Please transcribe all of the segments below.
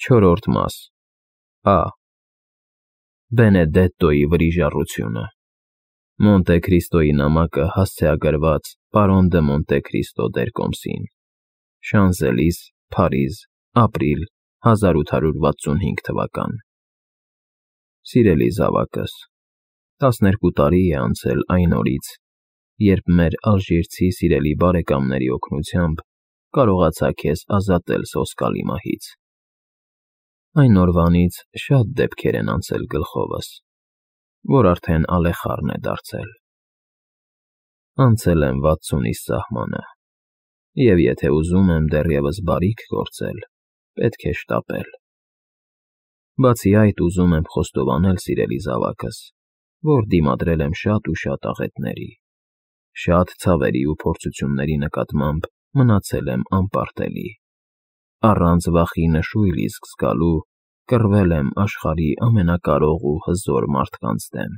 Չորրորդ մաս Ա. Բենեդետտոյի վրիժառությունը Մոնտե Քրիստոյի նամակը հասցեագրված պարոն դը Մոնտե Քրիստո դեր Կոմսին Շանզելիս, Փարիզ, ապրիլ 1865 թվական Սիրելի զավակս, 12 տարի է անցել այն օրից, երբ մեր ալժիրցի սիրելի բարեկամների օգնությամբ կարողացա քեզ ազատել սոսկալի մահից։ Այն օրվանից շատ դեպքեր են անցել գլխովս, որ արդեն ալեխառն է դարձել։ Անցել եմ 60-ից սահմանը, և եթե ուզում եմ դեռևս բարիք գործել, պետք է շտապել։ Բացի այդ, ուզում եմ խոստովանել, սիրելի զավակս, որ դիմադրել եմ շատ ու շատ աղետների, շատ ցավերի ու փորձությունների նկատմամբ մնացել եմ անպարտելի, առանց վախի նշույլ իսկ զգալու կռվել եմ աշխարհի ամենակարող ու հզոր մարդկանց դեմ։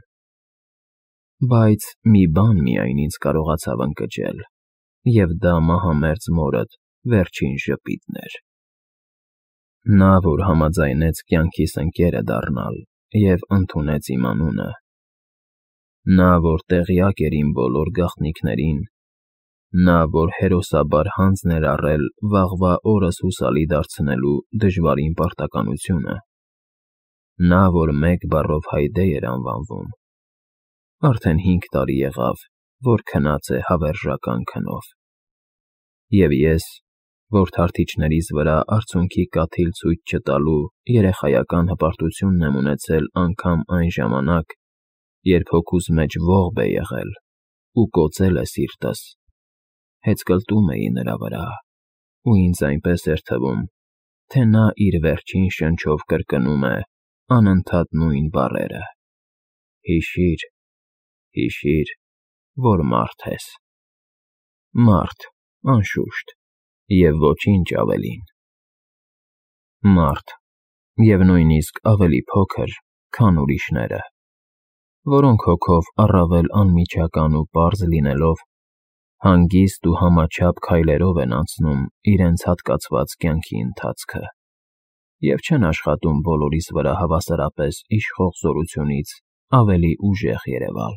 Բայց մի բան միայն ինձ կարողացավ ընկճել, և դա մահամերձ մորդ վերջին ժպիտն էր։ Նա, որ համաձայնեց կյանքիս ընկերը դառնալ և ընդունեց իմ անունը, նա, որ տեղյակ էր իմ բոլոր գաղտնիքներին, նա, որ հերոսաբար հանձն էր առել վաղվա օրս հուսալի դարձնելու դժվարին պարտականությունը, նա, որ մեկ բառով Հայդե էր անվանվում, արդեն 5 տարի եղավ, որ քնած է հավերժական քնով։ Եվ ես, որ թարթիչներիս վրա արցունքի կաթիլ ցույց չտալու երեխայական հպարտությունն եմ ունեցել անգամ այն ժամանակ, երբ հոգուս մեջ ողբ է եղել ու կոծել է սիրտս, հեծկլտում էի նրա վրա, ու ինձ այնպես էր թվում, թե նա իր վերջին շնչով կրկնում է անընդհատ նույն բառերը. «Հիշիր, հիշիր, որ մարդ ես»։ Մարդ, անշուշտ, և ոչինչ ավելին։ Մարդ, և նույնիսկ ավելի փոքր, քան ուրիշները, որոնք հոգով առավել անմիջական ու պարզ լինելով, հանգիստ ու համաչափ քայլերով են անցնում իրենց հատկացված կյանքի ընթացքը և չեն աշխատում բոլորիս վրա հավասարապես իշխող զորությունից ավելի ուժեղ երևալ,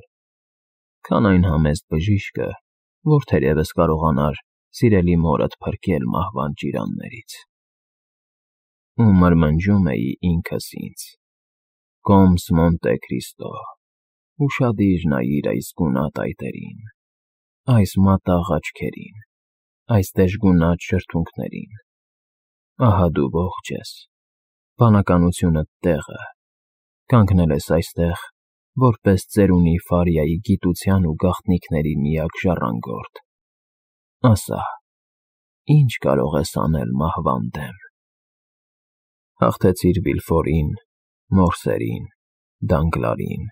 քան այն համեստ բժիշկը, որ թերևս կարողանար սիրելի մորդ փրկել մահվան ճիրաններից։ Ու մրմնջում էի ինքս ինձ. «Կոմս Մոնտե Քրիստո, ուշադիր նայիր այս գունատ այտերին, այս մատաղ աչքերին, այս դժգունատ շրթունքներին։ Ահա դու ողջ ես, բանականությունդ տեղը, կանգնել ես այստեղ, որպես ծերունի Ֆարիայի գիտության ու գաղտնիքների միակ ժառանգորդ։ Ասա, ի՞նչ կարող ես անել մահվան դեմ»։ Հաղթեցիր Վիլֆորին, Մորսերին, Դանգլարին,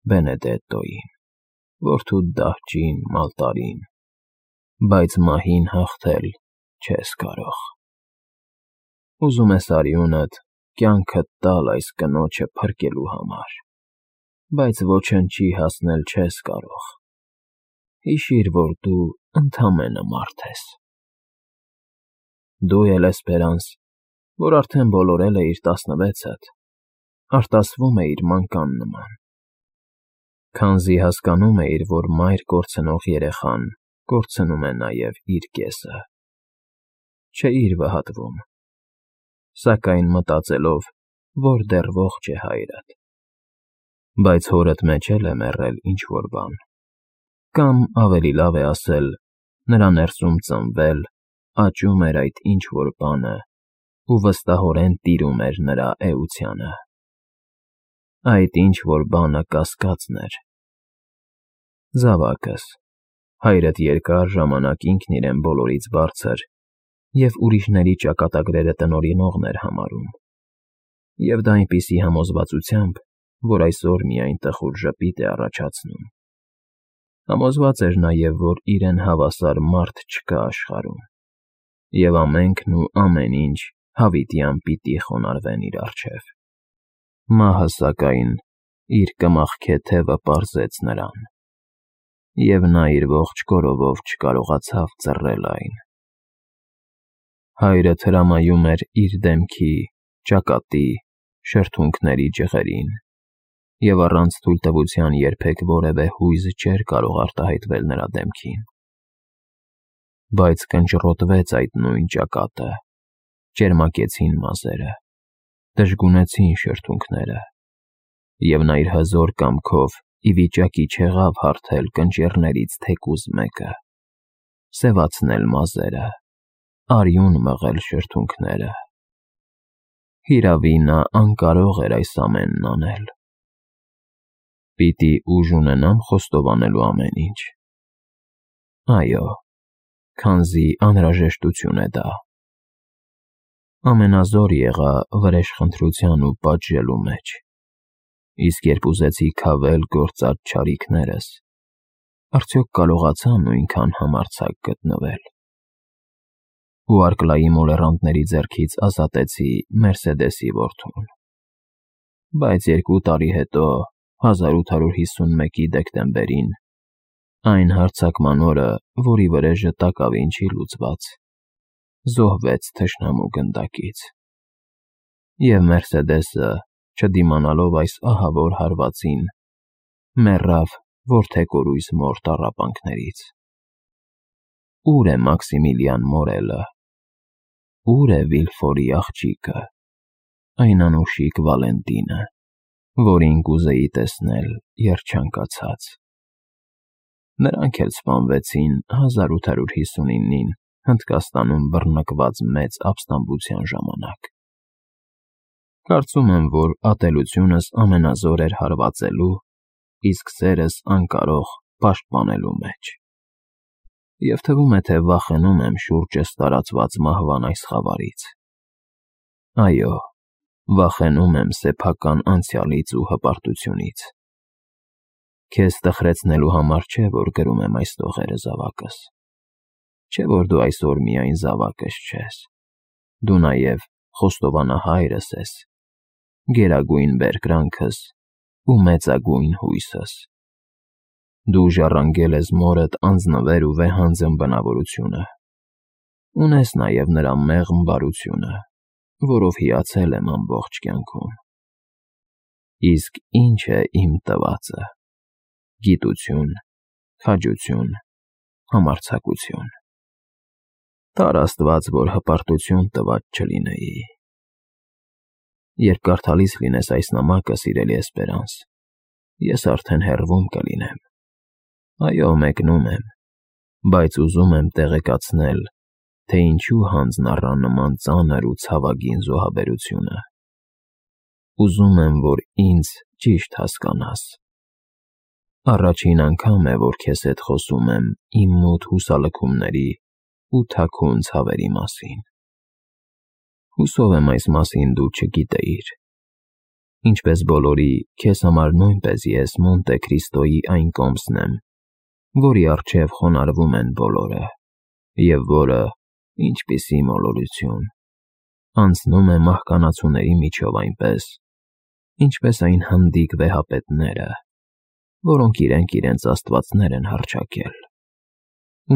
Բենեդետտոյին, որդուդ դահճին, Մալտարին, բայց մահին հաղթել չես կարող։ Ուզում ես արյունդ, կյանքդ տալ այս կնոջը փրկելու համար, բայց ոչնչի հասնել չես կարող։ Հիշիր, որ դու ընդամենը մարդ ես։ Դու էլ, Էսպերանս, որ արդեն բոլորել էիր 16-դ, արտասվում էիր մանկան նման, քանզի հասկանում էիր, որ մայր կորցնող երեխան կորցնում է նաև իր կեսը։ Չէիր վհատվում, սակայն մտածելով, որ դեռ ողջ է հայրդ։ Բայց հորդ մեջ էլ է մեռել ինչ֊որ բան, կամ ավելի լավ է ասել, նրա ներսում ծնվել, աճում էր այդ ինչ֊որ բանը ու վստահորեն տիրում էր նրա էությանը։ Այդ ինչ֊որ բանը կասկածն էր։ Զավակս, հայրդ երկար ժամանակ ինքն իրեն բոլորից բարձր և ուրիշների ճակատագրերը տնօրինողն էր համարում, և դա այնպիսի համոզվածությամբ, որ այսօր միայն տխուր ժպիտ է առաջացնում։ Համոզված էր նաև, որ իրեն հավասար մարդ չկա աշխարհում, և ամենքն ու ամեն ինչ հավիտյան պիտի խոնարհվեն իր առջև։ Մահը, սակայն, իր կմախքը թևը պարզեց նրան, և նա իր ողջ կորովով չկարողացավ ծռել այն։ Հայրդ հրամայում էր իր դեմքի ճակատի, շրթունքների ջղերին, և առանց թույլտվության երբեք որևէ հույզ չէր կարող արտահայտվել նրա դեմքին։ Բայց կնճռոտվեց այդ նույն ճակատը, ճերմակեցին մազերը, դժգունեցին շրթունքները, և նա իր հզոր կամքով ի վիճակի չեղավ հարթել կնճիռներից թեկուզ մեկը, սևացնել մազերը, արյուն մղել շրթունքները։ Հիրավի նա անկարող էր այս ամենն անել։ Պիտի ուժ ունենամ խոստովանելու ամեն ինչ։ Այո, քանզի անհրաժեշտություն է դա։ Ամենազոր եղա վրեժխնդրության ու պատժելու մեջ, իսկ երբ ուզեցի քավել գործած չարիքներս, արդյոք կարողացա նույնքան համարձակ գտնվել։ Ու Արկլայի մոլեռանդների ձեռքից ազատեցի Մերսեդեսի որդուն։ Բայց 2 տարի հետո, 1851-ի դեկտեմբերին, այն հարձակման օրը, որի վրեժը տակավին չի լուծված, զոհվեց թշնամու գնդակից։ Եվ Մերսեդեսը, չդիմանալով այս ահավոր հարվածին, մեռավ որդեկորույս մոր տառապանքներից։ Ո՞ւր է Մաքսիմիլիան Մորելը։ Ո՞ւր է Վիլֆորի աղջիկը, այն անուշիկ Վալենտինը, որին կուզեի տեսնել երջանկացած։ Նրանք էլ սպանվեցին 1859-ին Հնդկաստանում բռնկված մեծ ապստամբության ժամանակ։ Կարծում եմ, որ ատելությունս ամենազոր էր հարվածելու, իսկ սերս անկարող պաշտպանելու մեջ։ Եվ թվում է, թե վախենում եմ շուրջս տարածված մահվան այս խավարից։ Այո, վախենում եմ սեփական անցյալից ու հպարտությունից։ Քեզ տխրեցնելու համար չէ, որ գրում եմ այս տողերը, զավակս։ Չէ, որ դու այսօր միայն զավակս չես, դու նաև խոստովանահայրս ես, գերագույն բերկրանքս ու մեծագույն հույսս։ Դու ժառանգել ես մորդ անձնվեր ու վեհանձն բնավորությունը։ Ունես նաև նրա մեղմ բարությունը, որով հիացել եմ ամբողջ կյանքում։ Իսկ ինչ է իմ տվածը։ Գիտություն, քաջություն, համարձակություն։ Տար Աստված, որ հպարտություն տված չլինեի։ Երբ կարդալիս լինես այս նամակը, սիրելի Էսպերանս, ես արդեն հեռվում կլինեմ։ Այո, մեկնում եմ, բայց ուզում եմ տեղեկացնել, թե ինչու հանձն առա նման ծանր ու ցավագին զոհաբերությունը։ Ուզում եմ, որ ինձ ճիշտ հասկանաս։ Առաջին անգամ է, որ քեզ հետ խոսում եմ իմ մութ հուսալքումների ու թաքուն ցավերի մասին։ Հուսով եմ այս մասին դու չգիտեիր։ Ինչպես բոլորի, քեզ համար նույնպես ես Մոնտե Քրիստոյի այն կոմսն եմ, որի առջև խոնարհվում են բոլորը, և որը, ինչպիսի մոլորություն, անցնում է մահկանացուների միջով այնպես, ինչպես այն հնդիկ վեհապետները, որոնք իրենց աստվածներ են հռչակել,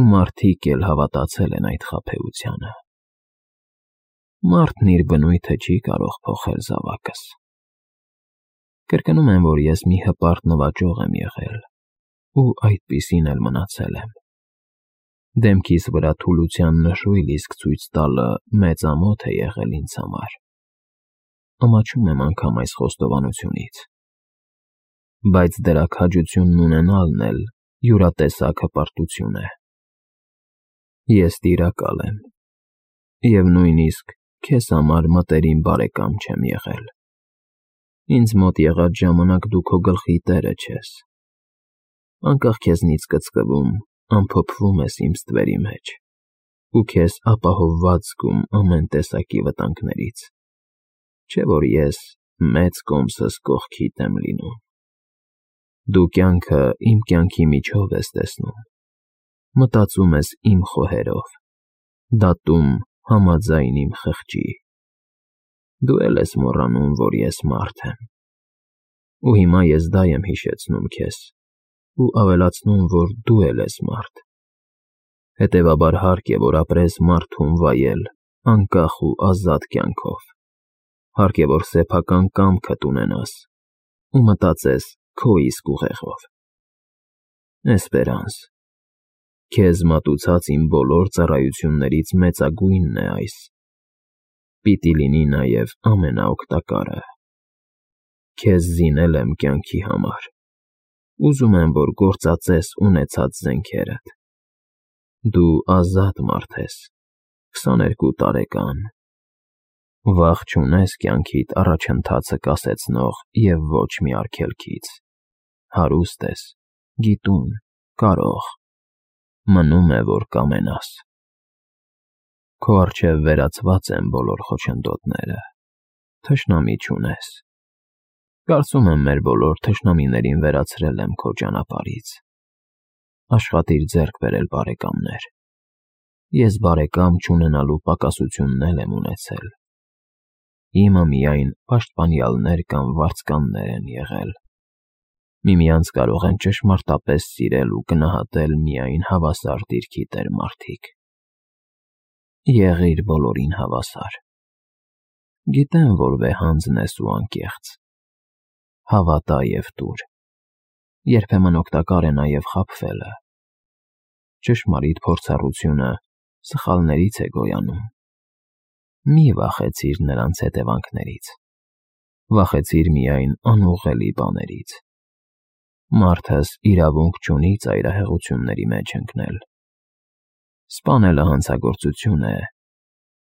ու մարդիկ էլ հավատացել են այդ խաբեությանը։ Մարդն իր բնույթը չի կարող փոխել, զավակս։ Կրկնում եմ, որ ես մի հպարտ նվաճող եմ եղել, ու այդպիսին էլ մնացել եմ։ Դեմքիս վրա թուլության նշույլ իսկ ցույց տալը մեծ ամոթ է եղել ինձ համար։ Ամաչում եմ անգամ այս խոստովանությունից։ Բայց դրա քաջությունն ունենալն էլ յուրատեսակ հպարտություն է։ Ես տիրակալ եմ, և նույնիսկ քեզ համար մտերիմ բարեկամ չեմ եղել։ Ինձ մոտ եղած ժամանակ դու քո գլխի տերը չես։ Անկախ քեզնից կծկվում, ամփոփվում ես իմ ստվերի մեջ, ու քեզ ապահովված զգում ամեն տեսակի վտանգներից, չէ՞ որ ես մեծ կոմսս կողքիդ եմ լինում։ Դու կյանքը իմ կյանքի միջով ես տեսնում, մտածում ես իմ խոհերով, դատում համաձայն իմ խղճի։ Դու էլ ես մոռանում, որ ես մարդ եմ։ Ու հիմա ես դա եմ հիշեցնում քեզ, ու ավելացնում, որ դու էլ ես մարդ։ Հետևաբար հարկ է, որ ապրես մարդուն վայել, անկախ ու ազատ կյանքով։ Հարկ է որ սեփական կամքդ ունենաս ու մտածես քո իսկ ուղեղով։ Էսպերանս, քեզ մատուցած իմ բոլոր ծառայություններից մեծագույնն է այս, պիտի լինի նաև ամենաօգտակարը։ Քեզ զինել եմ կյանքի համար, ուզում եմ, որ գործածես ունեցած զենքերդ։ Դու ազատ մարդ ես, 22 տարեկան, վախ չունես կյանքիդ առաջընթացը կասեցնող և ոչ մի արգելքից, հարուստ ես, գիտուն, կարող, մնում է, որ կամենաս։ Քո առջև վերացված են բոլոր խոչընդոտները, թշնամի չունես։ Կարծում եմ մեր բոլոր թշնամիներին վերացրել եմ քո ճանապարհից։ Աշխատիր ձեռք բերել բարեկամներ։ Ես բարեկամ չունենալու պակասությունն եմ ունեցել։ Իմը միայն պաշտպանյալներ կամ վարձկաններ են եղել։ Միմյանց կարող են ճշմարտապես սիրել ու գնահատել միայն հավասար դիրքի տեր մարդիկ։ Եղիր բոլորին հավասար։ Գիտեմ, որ վեհանձն ես ու անկեղծ։ Հավատա և տուր։ Երբեմն օգտակար է նաև խաբվելը։ Ճշմարիտ փորձառությունը սխալներից է գոյանում։ Մի վախեցիր նրանց հետևանքներից։ Վախեցիր միայն անուղղելի բաներից։ Մարդս իրավունք չունի ծայրահեղությունների մեջ ընկնել։ Սպանելը հանցագործություն է,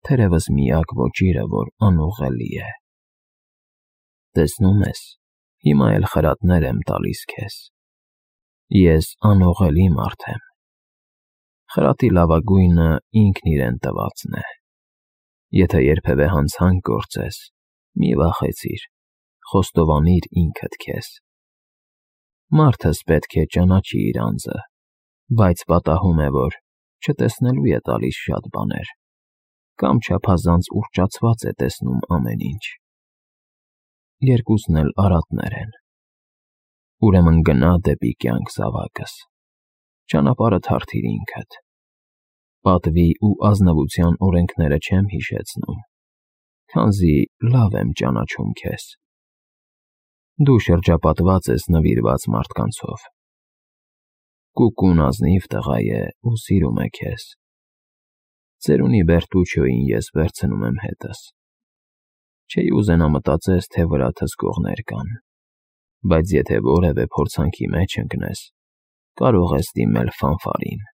թերևս միակ ոճիրը, որ անուղղելի է։ Տեսնում ես, հիմա էլ խրատներ եմ տալիս քեզ։ Ես անուղղելի մարդ եմ։ Խրատի լավագույնը ինքն իրեն տվածն է։ Եթե երբևէ հանցանք գործես, մի վախեցիր, խոստովանիր ինքդ քեզ։ Մարդս պետք է ճանաչի իր անձը, բայց պատահում է, որ չտեսնելու է տալիս շատ բաներ, կամ չափազանց ուռճացված է տեսնում ամեն ինչ։ Երկուսն էլ արատներ են։ Ուրեմն գնա դեպի կյանք, զավակս, ճանապարհդ հարթիր ինքդ։ Պատվի ու ազնվության օրենքները չեմ հիշեցնում, քանզի լավ եմ ճանաչում քեզ։ Դու շրջապատված ես նվիրված մարդկանցով։ Կուկուն ազնիվ տղա է ու սիրում է քեզ։ Ծերունի Բերտուչոյին ես վերցնում եմ հետս։ Չէի ուզենա մտածես, թե վրադ հսկողներ կան, բայց եթե որևէ փորձանքի մեջ ընկնես, կարող ես դիմել Ֆանֆարին։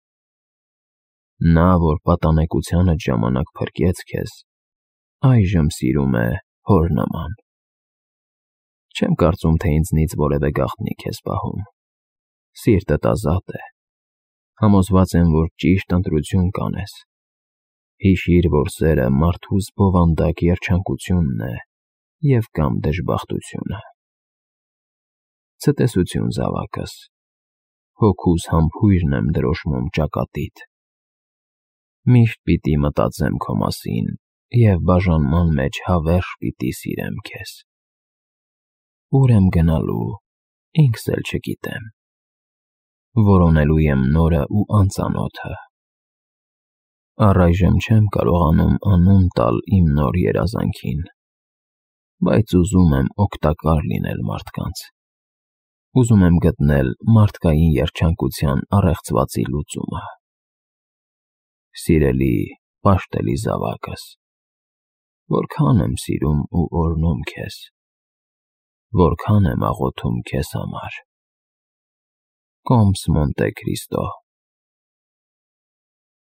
Նա, որ պատանեկությանդ ժամանակ փրկեց քեզ, այժմ սիրում է հոր նման։ Չեմ կարծում, թե ինձնից որևէ գաղտնիք ես պահում։ Սիրտդ ազատ է։ Համոզված եմ, որ ճիշտ ընտրություն կանես։ Հիշիր, որ սերը մարդուս բովանդակ երջանկությունն է և կամ դժբախտությունը։ Ցտեսություն, զավակս, հոգուս համբույրն եմ դրոշմում ճակատիդ։ Միշտ պիտի մտածեմ քո մասին և բաժանման մեջ հավերժ պիտի սիրեմ քեզ։ Ուր եմ գնալու, ինքս էլ չգիտեմ։ Որոնելու եմ նորը ու անծանոթը։ Առայժմ չեմ կարողանում անուն տալ իմ նոր երազանքին, բայց ուզում եմ օգտակար լինել մարդկանց։ Ուզում եմ գտնել մարդկային երջանկության առեղծվածի լուծումը։ Սիրելի, պաշտելի զավակս, որքան եմ սիրում ու օրհնում քեզ, որքան եմ աղոթում քեզ համար։ Կոմս Մոնտե Քրիստո։